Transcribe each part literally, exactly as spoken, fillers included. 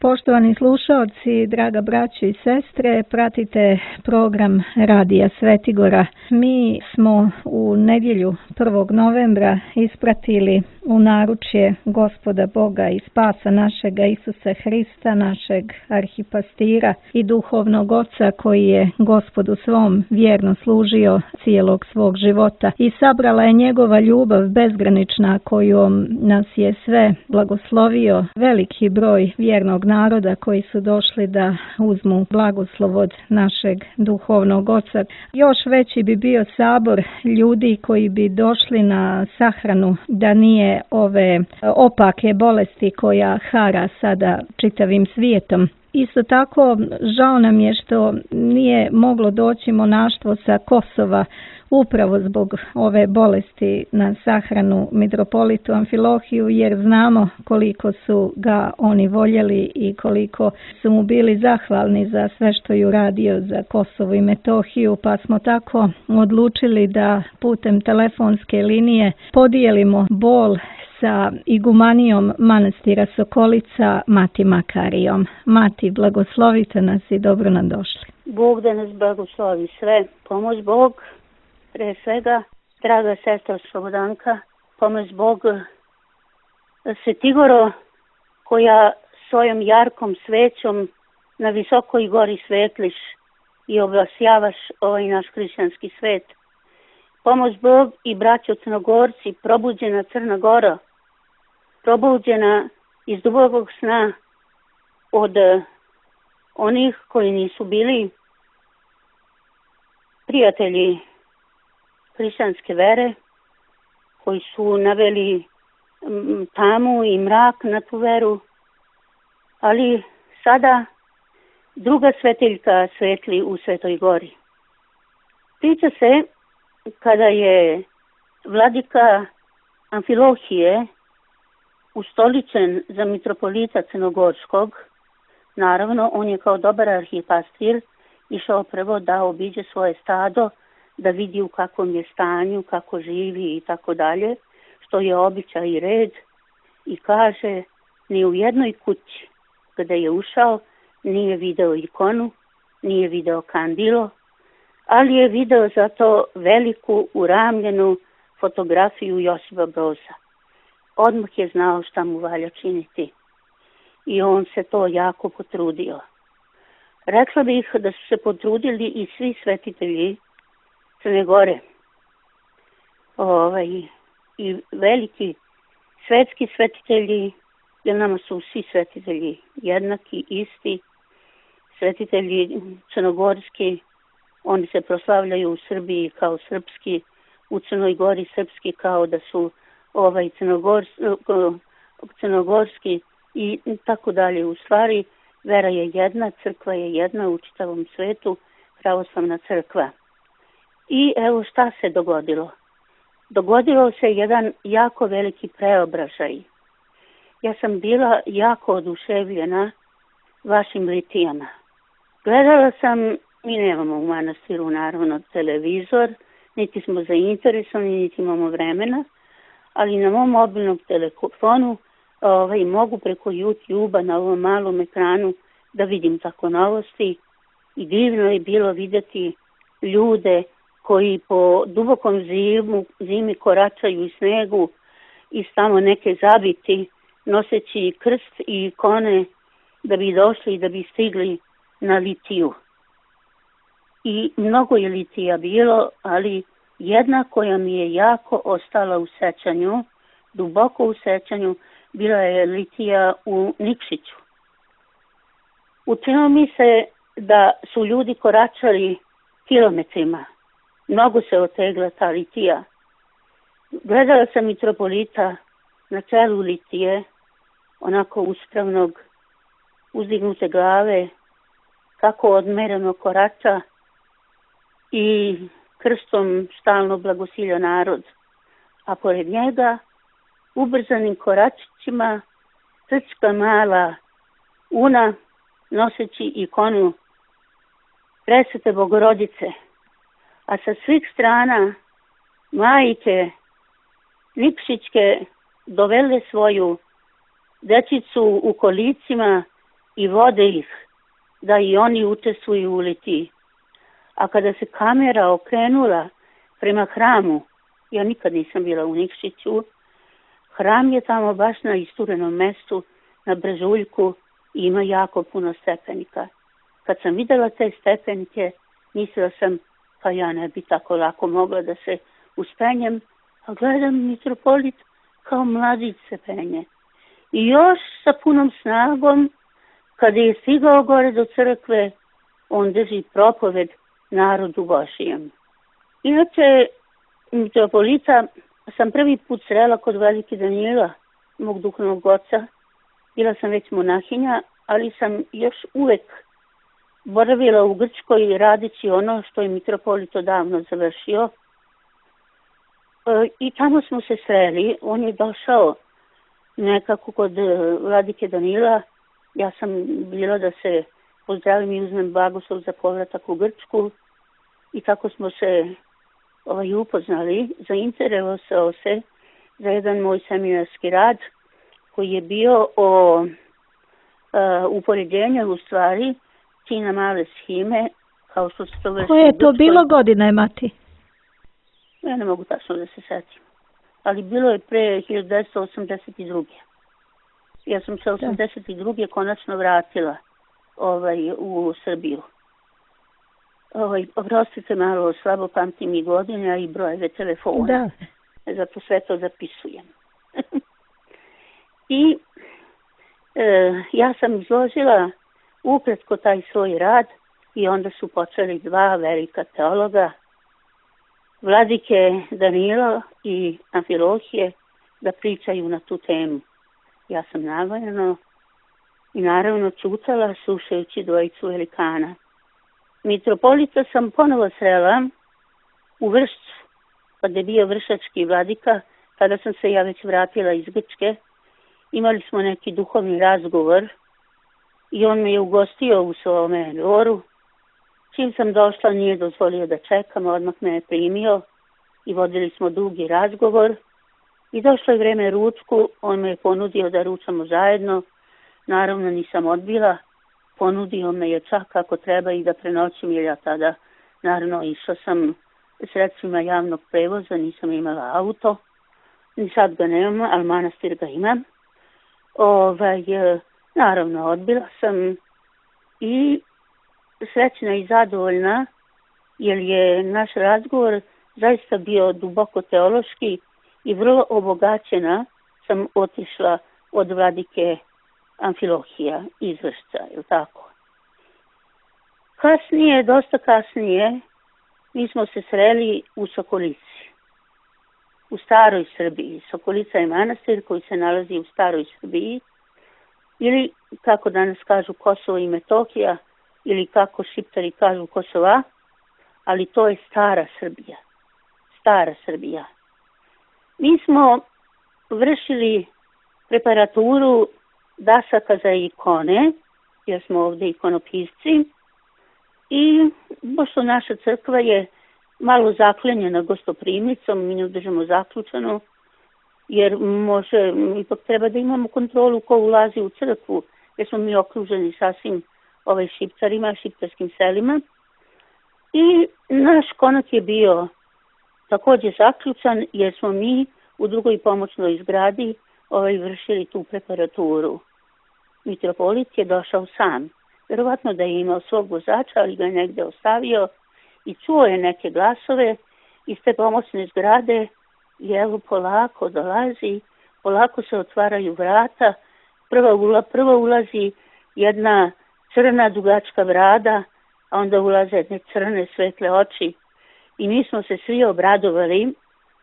Poštovani slušaoci, draga braćo i sestre, pratite program Radija Svetigora. Mi smo u nedjelju prvog novembra ispratili u naručje Gospoda Boga i spasa našega Isusa Hrista, našeg arhipastira i duhovnog oca koji je Gospodu svom vjerno služio cijelog svog života i sabrala je njegova ljubav bezgranična kojom nas je sve blagoslovio, veliki broj vjernog naroda koji su došli da uzmu blagoslov od našeg duhovnog oca. Još veći bi bio sabor ljudi koji bi došli na sahranu da nije ove opake bolesti koja hara sada čitavim svijetom. Isto tako, žao nam je što nije moglo doći monaštvo sa Kosova upravo zbog ove bolesti na sahranu mitropolitu Amfilohiju, jer znamo koliko su ga oni voljeli i koliko su mu bili zahvalni za sve što je uradio za Kosovo i Metohiju, pa smo tako odlučili da putem telefonske linije podijelimo bol sa igumanijom manastira Sokolica, Mati Makarijom. Mati, blagoslovite nas i dobro nam došli. Bog da nas blagoslovi sve. Pomoć Bog, pre svega, draga sestra Slobodanka, pomoć Bog Svetigoro, koja svojom jarkom svećom na visokoj gori svetliš i oblasjavaš ovaj naš hrišćanski svet. Pomoć Bog i braćo Crnogorci, probuđena Crna Gora, probuđena iz dubokog sna od onih koji nisu bili prijatelji hrišćanske vere, koji su naveli tamu i mrak na tu veru, ali sada druga svetiljka svetli u Svetoj Gori. Priča se kada je vladika Amfilohije ustoličen za mitropolita Crnogorskog, naravno on je kao dobar arhipastir išao prvo da obiđe svoje stado, da vidi u kakvom je stanju, kako živi i tako dalje, što je običaj i red, i kaže, ni u jednoj kući kada je ušao nije video ikonu, nije video kandilo, ali je video zato veliku uramljenu fotografiju Josipa Broza. Odmah je znao šta mu valja činiti i on se to jako potrudio. Rekla bih da su se potrudili i svi svetitelji Crne Gore, ovaj, i veliki svetski svetitelji, jer nama su svi svetitelji jednaki, isti. Svetitelji crnogorski, oni se proslavljaju u Srbiji kao srpski, u Crnoj Gori srpski kao da su ovaj crnogors, crnogorski i tako dalje. U stvari, vera je jedna, crkva je jedna u čitavom svetu, pravoslavna crkva. I evo šta se dogodilo. Dogodilo se jedan jako veliki preobražaj. Ja sam bila jako oduševljena vašim litijama. Gledala sam, mi nemamo u manastiru naravno televizor, niti smo zainteresovani, niti imamo vremena, ali na mom mobilnom telefonu ovaj, mogu preko YouTube-a na ovom malom ekranu da vidim tako novosti i divno je bilo vidjeti ljude koji po dubokom zimu, zimi koračaju u snegu i tamo neke zabiti noseći krst i ikone da bi došli i da bi stigli na litiju. I mnogo je litija bilo, ali jedna koja mi je jako ostala u sećanju, duboko u sećanju, bila je litija u Nikšiću. Učinilo mi se da su ljudi koračali kilometrima. Mnogo se otegla ta litija. Gledala sam mitropolita na čelu litije, onako uspravnog, uzdignute glave, kako odmereno korača i krstom stalno blagosilja narod. A pored njega, ubrzanim koračićima, crčka mala una, noseći ikonu Presvete Bogorodice, a sa svih strana majke Nikšićke dovele svoju dečicu u kolicima i vode ih da i oni učestvuju u litiji. A kada se kamera okrenula prema hramu, ja nikad nisam bila u Nikšiću, hram je tamo baš na isturenom mestu, na brežuljku i ima jako puno stepenika. Kad sam videla te stepenike, mislila sam, pa ja ne bi tako lako mogla da se uspenjem, a gledam mitropolit kao mladić se penje. I još sa punom snagom, kada je stigao gore do crkve, on drži propoved narodu Božijem. Inače, mitropolita sam prvi put srela kod Velike Danila, mog duhovnog oca. Bila sam već monahinja, ali sam još uvek boravila u Grčkoj radeći ono što je mitropolit odavno završio. I tamo smo se sreli. On je došao nekako kod Vladike Danila. Ja sam bila da se pozdravim i uzmem blagoslov za povratak u Grčku. I tako smo se ovaj, upoznali. Zainteresovao se za jedan moj seminarski rad koji je bio o uh, upoređenju u stvari Tina male shime, kao što se to vrši. Koje je to bilo godine, mati? Ja ne mogu tačno da se setim. Ali bilo je pre hiljadu devetsto osamdeset druge. Ja sam se osamdeset druge konačno vratila ovaj, u Srbiju. Ovaj, oprostite malo, slabo pamtim i godine, a i brojeve telefona. Da. Zato sve to zapisujem. I e, ja sam izložila ukratko taj svoj rad i onda su počeli dva velika teologa, Vladike Danilo i Amfilohije, da pričaju na tu temu. Ja sam naravno i naravno čutala slušajući dvojicu velikana. Mitropolita sam ponovo srela u Vršcu, kada je bio vršački vladika, kada sam se ja već vratila iz Grčke. Imali smo neki duhovni razgovor i on me je ugostio u svome dvoru. Čim sam došla, nije dozvolio da čekam, odmah me je primio i vodili smo dugi razgovor. I došlo je vreme ručku, on me je ponudio da ručamo zajedno. Naravno nisam odbila, ponudio me je čak ako treba i da prenoćim, jer ja tada naravno išla sam sredstvima javnog prevoza, nisam imala auto. Ni sad ga nemam, ali manastir ga imam. Ovaj, naravno odbila sam i srećna i zadovoljna, jer je naš razgovor zaista bio duboko teološki i vrlo obogaćena sam otišla od vladike Amfilohija iz Vršca, je li tako? Kasnije, dosta kasnije, mi smo se sreli u Sokolici, u staroj Srbiji. Sokolica je manastir koji se nalazi u staroj Srbiji, ili kako danas kažu Kosovo i Metohija, ili kako Šiptari kažu Kosova, ali to je stara Srbija. Stara Srbija. Mi smo vršili preparaturu dasaka za ikone, jer smo ovdje ikonopisci, i pošto naša crkva je malo zaklenjena gostoprimicom, mi ne držimo zaključano, jer može, ipak treba da imamo kontrolu ko ulazi u crkvu, jer smo mi okruženi sasvim ovaj Šiptarima, šiptarskim selima. I naš konak je bio također zaključan, jer smo mi u drugoj pomoćnoj zgradi ovaj, vršili tu preparaturu. Mitropolit je došao sam. Vjerovatno da je imao svog vozača, ali ga je negde ostavio i čuo je neke glasove iz te pomoćne zgrade i evo polako dolazi, polako se otvaraju vrata, prva, ula, prva ulazi jedna crna dugačka brada, a onda ulaze jedne crne svetle oči i mi smo se svi obradovali,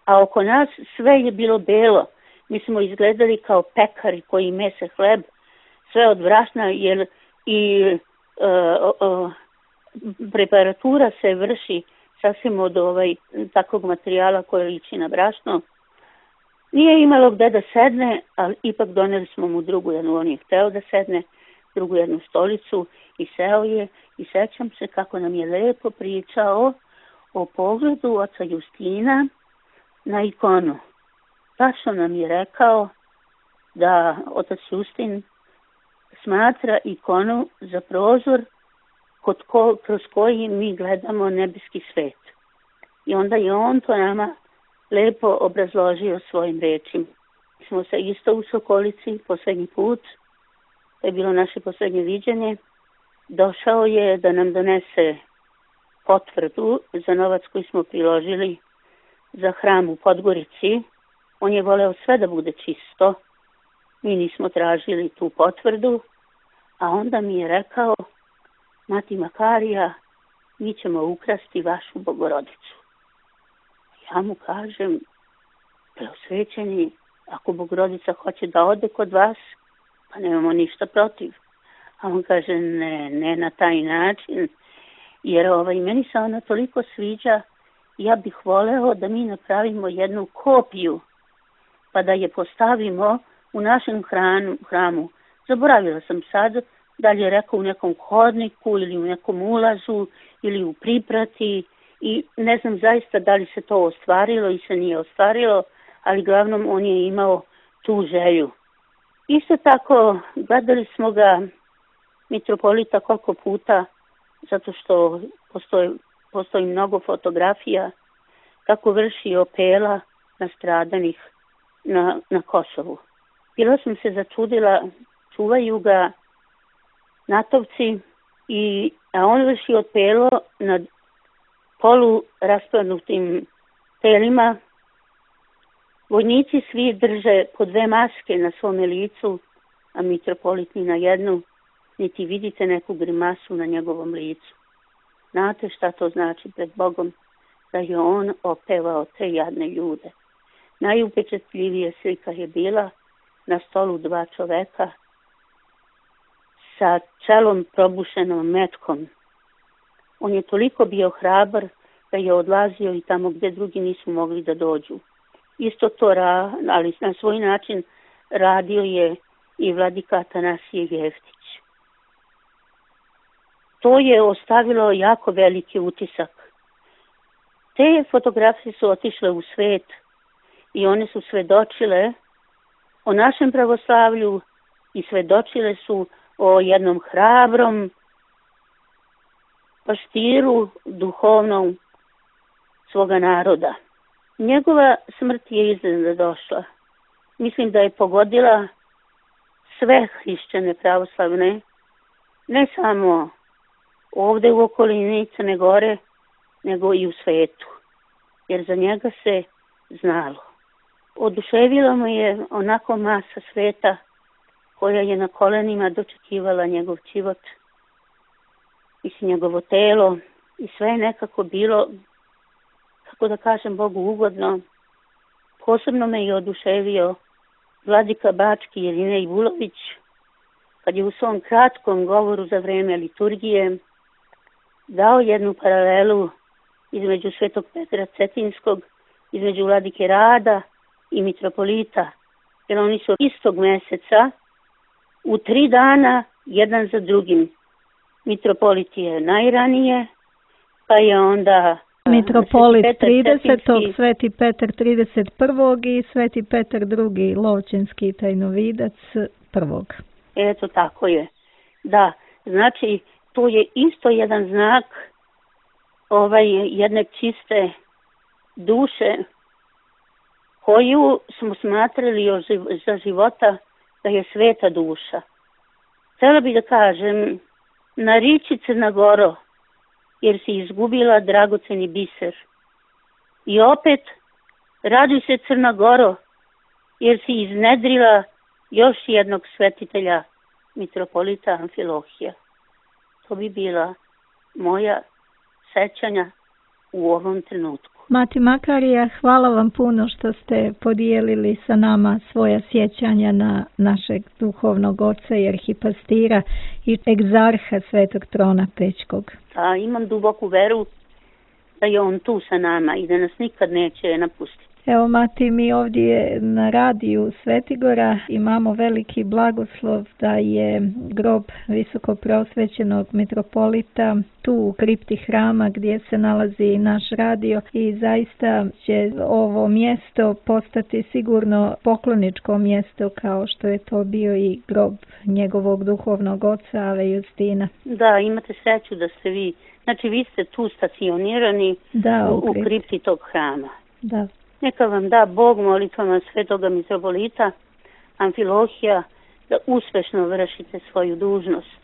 a oko nas sve je bilo belo. Mi smo izgledali kao pekari koji mese hleb, sve od brašna, jer i uh, uh, preparatura se vrši sasvim od ovaj, takvog materijala koje liči na brašno. Nije imalo gde da sedne, ali ipak doneli smo mu drugu jednu, on je hteo da sedne, drugu jednu stolicu i seo je i sećam se kako nam je lepo pričao o pogledu oca Justina na ikonu. Tačno nam je rekao da otac Justin smatra ikonu za prozor kod ko, kroz koji mi gledamo nebeski svet. I onda je on to nama lepo obrazložio svojim rečima. Smo se isto u Sokolici poslednji put, to je bilo naše poslednje viđenje, došao je da nam donese potvrdu za novac koji smo priložili za hram u Podgorici. On je voleo sve da bude čisto. Mi nismo tražili tu potvrdu, a onda mi je rekao: Mati Makarija, mi ćemo ukrasti vašu Bogorodicu. Ja mu kažem: Preosvećeni, ako Bogorodica hoće da ode kod vas, pa nemamo ništa protiv. A on kaže: ne, ne na taj način, jer ovaj, meni se ona toliko sviđa, ja bih voleo da mi napravimo jednu kopiju, pa da je postavimo u našem hramu, hramu. Zaboravila sam sad, da li je rekao u nekom hodniku ili u nekom ulazu ili u priprati, i ne znam zaista da li se to ostvarilo i se nije ostvarilo, ali glavnom on je imao tu želju. Isto tako gledali smo ga, mitropolita, koliko puta, zato što postoji, postoji mnogo fotografija kako vrši opela nastradanih na, na Kosovu. Bila sam se začudila, čuvaju ga natovci, i, a on vrši opelo nad polu raspadnutim telima. Vojnici svi drže po dve maske na svome licu, a mitropolit ni na jednu, niti vidite neku grimasu na njegovom licu. Znate šta to znači pred Bogom? Da je on opevao te jadne ljude. Najupečatljivije slika je bila na stolu dva čoveka sa čelom probušenom metkom. On je toliko bio hrabar da je odlazio i tamo gde drugi nisu mogli da dođu. Isto to, ra, ali na svoj način radio je i vladika Atanasije Jeftić. To je ostavilo jako veliki utisak. Te fotografije su otišle u svet i one su svedočile o našem pravoslavlju i svedočile su o jednom hrabrom paštiru duhovnom svoga naroda. Njegova smrt je iznenada došla. Mislim da je pogodila sve hrišćane pravoslavne, ne samo ovde u okolini Crne Gore, nego i u svetu, jer za njega se znalo. Oduševila mu je onako masa sveta koja je na kolenima dočekivala njegov život i njegovo telo, i sve je nekako bilo, kako da kažem, Bogu ugodno. Posebno me je oduševio vladika Bački Irinej Vulović, kad je u svom kratkom govoru za vreme liturgije dao jednu paralelu između Svetog Petra Cetinskog, između vladike Rada i mitropolita, jer oni su istog meseca u tri dana jedan za drugim. Mitropolit je najranije, pa je onda mitropolit tridesetog, Sveti Petar trideset prvog i Sveti Petar drugi, Lovćenski tajnovidac prvog. Eto, tako je. Da, znači to je isto jedan znak ovaj jedne čiste duše koju smo smatrali za života da je sveta duša. Htjela bih da kažem, nariči Crna Goro, jer si izgubila dragoceni biser. I opet, raduj se Crna Goro, jer si iznedrila još jednog svetitelja, mitropolita Amfilohija. To bi bila moja sećanja u ovom trenutku. Mati Makarija, hvala vam puno što ste podijelili sa nama svoja sjećanja na našeg duhovnog oca i arhipastira i egzarha Svetog Trona Pećkog. A imam duboku veru da je on tu sa nama i da nas nikad neće napustiti. Evo, Mati, mi ovdje na radiju Svetigora imamo veliki blagoslov da je grob visoko preosvećenog mitropolita tu u kripti hrama gdje se nalazi naš radio i zaista će ovo mjesto postati sigurno pokloničko mjesto kao što je to bio i grob njegovog duhovnog oca Ave Justina. Da, imate sreću da ste vi, znači vi ste tu stacionirani da, u, u, kripti. u kripti tog hrama. Da. Neka vam da Bog molitvama svetoga mitropolita Amfilohija da uspešno vršite svoju dužnost.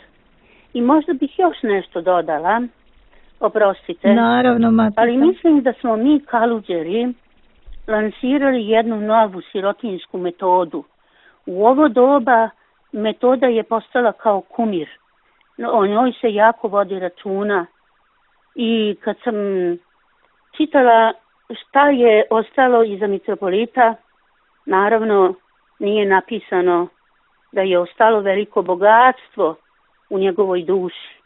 I možda bih još nešto dodala, oprostite. Naravno, Matica. Ali mislim da smo mi Kaluđeri lansirali jednu novu sirotinsku metodu. U ovo doba metoda je postala kao kumir. O njoj se jako vodi računa. I kad sam čitala šta je ostalo iza mitropolita, naravno nije napisano da je ostalo veliko bogatstvo u njegovoj duši,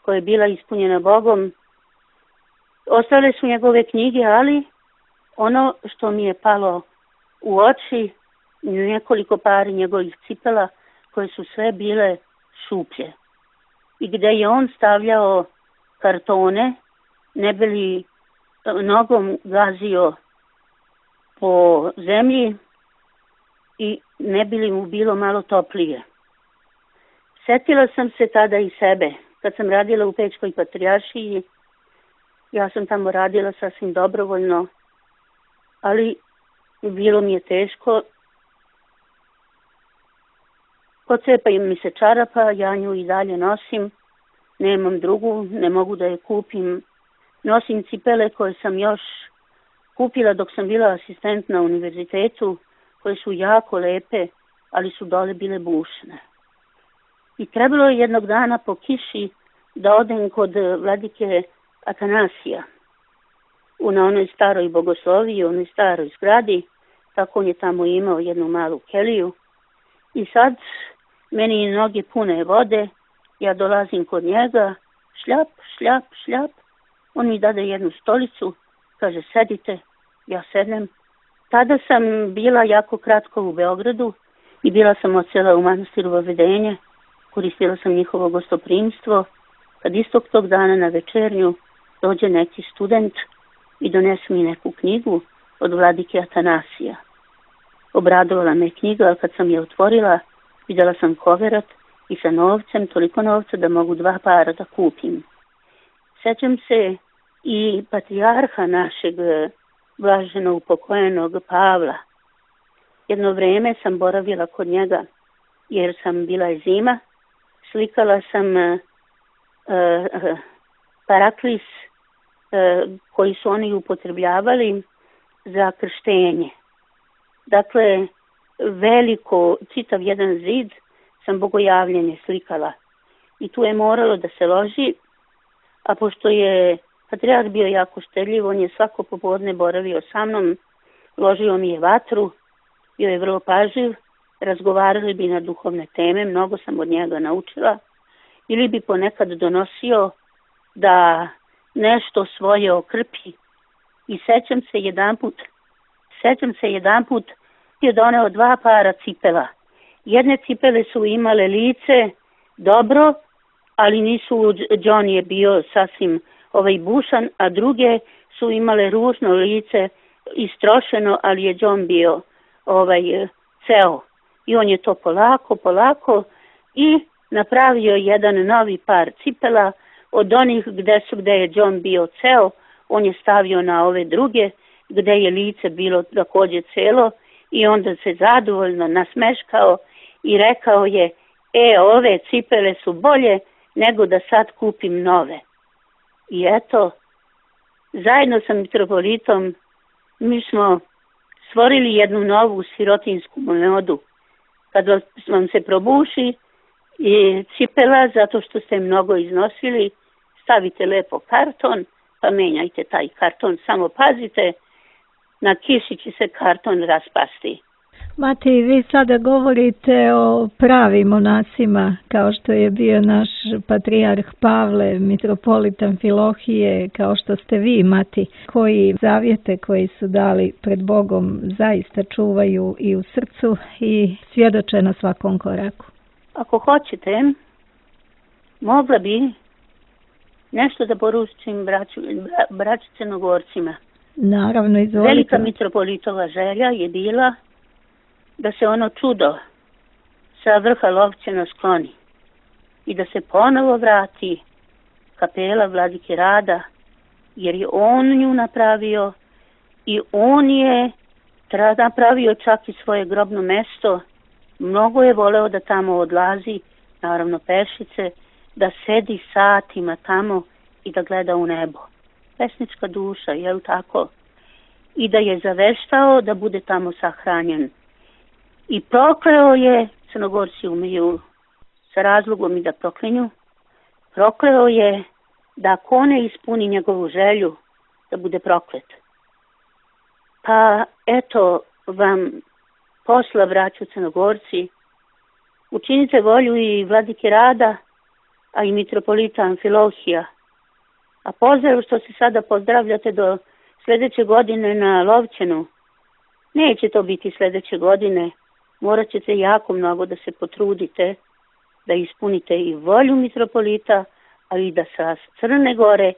koja je bila ispunjena Bogom. Ostale su njegove knjige, ali ono što mi je palo u oči, nekoliko pari njegovih cipela, koje su sve bile šuplje. I gde je on stavljao kartone, ne bi li nogom gazio po zemlji i ne bi li mu bilo malo toplije. Sjetila sam se tada i sebe. Kad sam radila u Pečkoj patrijaršiji, ja sam tamo radila sasvim dobrovoljno, ali bilo mi je teško. Pocepa mi se čarapa, ja nju i dalje nosim. Nemam drugu, ne mogu da je kupim. Nosim cipele koje sam još kupila dok sam bila asistent na univerzitetu, koje su jako lepe, ali su dole bile bušne. I trebalo je jednog dana po kiši da odem kod vladike Atanasija u na onoj staroj bogosloviji, u onoj staroj zgradi. Tako on je tamo imao jednu malu keliju. I sad meni noge pune vode, ja dolazim kod njega, šljap, šljap, šljap. On mi dade jednu stolicu, kaže sedite, ja sednem. Tada sam bila jako kratko u Beogradu i bila sam odsela u manastiru Vavedenje, koristila sam njihovo gostoprimstvo, kad istog tog dana na večernju dođe neki student i donese mi neku knjigu od vladike Atanasija. Obradovala me knjiga, ali kad sam je otvorila, vidjela sam koverat i sa novcem, toliko novca da mogu dva para da kupim. Sjećam se i patrijarha našeg blaženo upokojenog Pavla. Jedno vrijeme sam boravila kod njega jer sam bila je zima. Slikala sam uh, uh, paraklis uh, koji su oni upotrebljavali za krštenje. Dakle, veliko, čitav jedan zid sam bogojavljenje slikala. I tu je moralo da se loži, a pošto je patrijarh bio jako štedljiv, on je svako popodne boravio sa mnom, ložio mi je vatru, bio je vrlo pažljiv, razgovarali bi na duhovne teme, mnogo sam od njega naučila, ili bi ponekad donosio da nešto svoje okrpi. I sećam se jedan put, sećam se jedan put je doneo dva para cipela. Jedne cipele su imale lice dobro, ali nisu, John je bio sasvim ovaj bušan, a druge su imale ružno lice, istrošeno, ali je John bio ovaj ceo. I on je to polako, polako i napravio jedan novi par cipela od onih gde su, gde je John bio ceo, on je stavio na ove druge, gde je lice bilo također celo i onda se zadovoljno nasmeškao i rekao je, e, ove cipele su bolje nego da sad kupim nove. I eto, zajedno sa mitropolitom mi smo stvorili jednu novu sirotinsku metodu. Kad vam se probuši i cipela, zato što ste mnogo iznosili, stavite lepo karton, pa menjajte taj karton, samo pazite, na kiši će se karton raspasti. Mati, vi sada govorite o pravim monasima, kao što je bio naš patrijarh Pavle, mitropolit Amfilohije, kao što ste vi, Mati, koji zavjete koji su dali pred Bogom zaista čuvaju i u srcu i svjedoče na svakom koraku. Ako hoćete, mogla bi nešto da poručim braću, braću Crnogorcima. Naravno, izvolite. Velika mitropolitova želja je bila da se ono čudo sa vrha Lovćena skloni i da se ponovo vrati kapela Vladike Rada, jer je on nju napravio i on je napravio čak i svoje grobno mesto. Mnogo je voleo da tamo odlazi, naravno pešice, da sedi satima tamo i da gleda u nebo. Pesnička duša, je li tako? I da je zaveštao da bude tamo sahranjen. I prokleo je, Crnogorci umeju sa razlogom i da proklinju, prokleo je da ako ne ispuni njegovu želju, da bude proklet. Pa eto vam posla, braću Crnogorci, učinite volju i Vladike Rada, a i mitropolita Amfilohija. A pozdrav što se sada pozdravljate do sljedeće godine na Lovćenu. Neće to biti sljedeće godine. Morat ćete jako mnogo da se potrudite, da ispunite i volju mitropolita, ali i da sa Crne Gore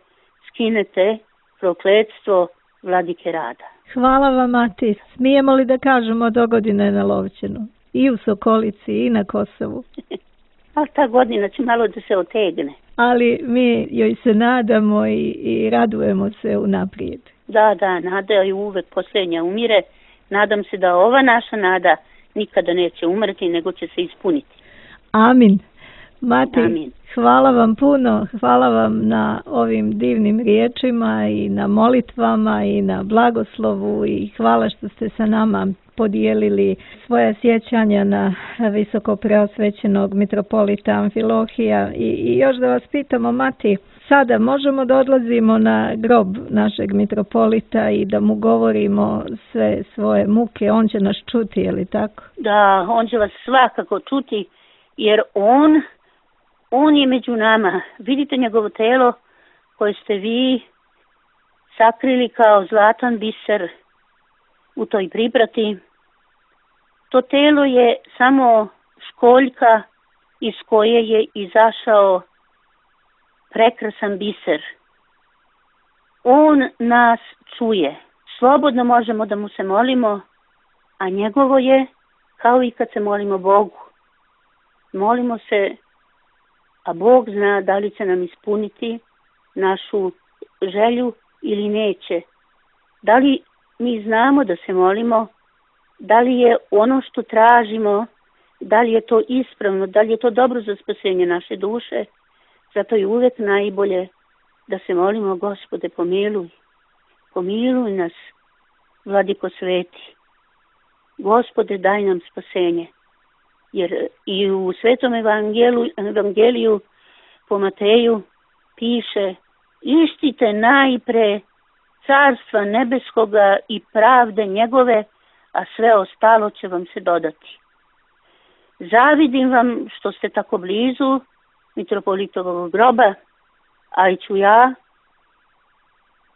skinete prokletstvo Vladike Rada. Hvala vam, Mati. Smijemo li da kažemo do godine na Lovćenu? I u Sokolici i na Kosovu. A ta godina će malo da se otegne. Ali mi joj se nadamo i, i radujemo se unaprijed. Da, da, nada je uvek posljednja umire. Nadam se da ova naša nada nikada neće umreti, nego će se ispuniti. Amin. Mati, Amin. Hvala vam puno, hvala vam na ovim divnim riječima i na molitvama i na blagoslovu i hvala što ste sa nama podijelili svoje sjećanja na visoko preosvećenog mitropolita Amfilohija. I, i još da vas pitamo, Mati, sada možemo da odlazimo na grob našeg mitropolita i da mu govorimo sve svoje muke, on će nas čuti, je li tako? Da, on će vas svakako čuti, jer on, on je među nama. Vidite njegovo telo koje ste vi sakrili kao zlatan biser u toj priprati. To telo je samo školjka iz koje je izašao prekrasan biser. On nas čuje. Slobodno možemo da mu se molimo, a njegovo je kao i kad se molimo Bogu. Molimo se, a Bog zna da li će nam ispuniti našu želju ili neće. Da li mi znamo da se molimo, da li je ono što tražimo, da li je to ispravno, da li je to dobro za spasenje naše duše. Zato je uvek najbolje da se molimo, Gospode, pomiluj, pomiluj nas, Vladiko sveti. Gospode, daj nam spasenje. Jer i u Svetom evangeliju, evangeliju po Mateju piše: ištite najpre carstva nebeskoga i pravde njegove, a sve ostalo će vam se dodati. Zavidim vam što ste tako blizu mitropolitovog groba, ali ću ja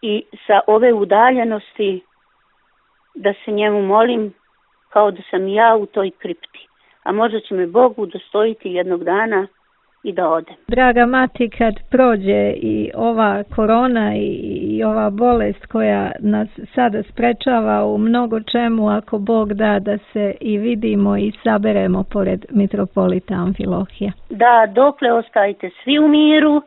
i sa ove udaljenosti da se njemu molim kao da sam ja u toj kripti. A možda će me Bog udostojiti jednog dana i da odem. Draga Mati, kad prođe i ova korona i, i ova bolest koja nas sada sprečava u mnogo čemu, ako Bog da da se i vidimo i saberemo pored mitropolita Amfilohija. Da, dokle ostajte svi u miru,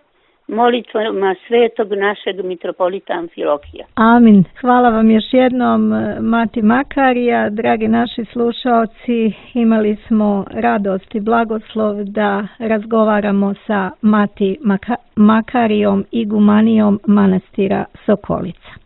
molitvama svetog našeg mitropolita Amfilohija. Amin. Hvala vam još jednom, Mati Makarija. Dragi naši slušaoci, imali smo radost i blagoslov da razgovaramo sa Mati Maka- Makarijom, igumanijom manastira Sokolica.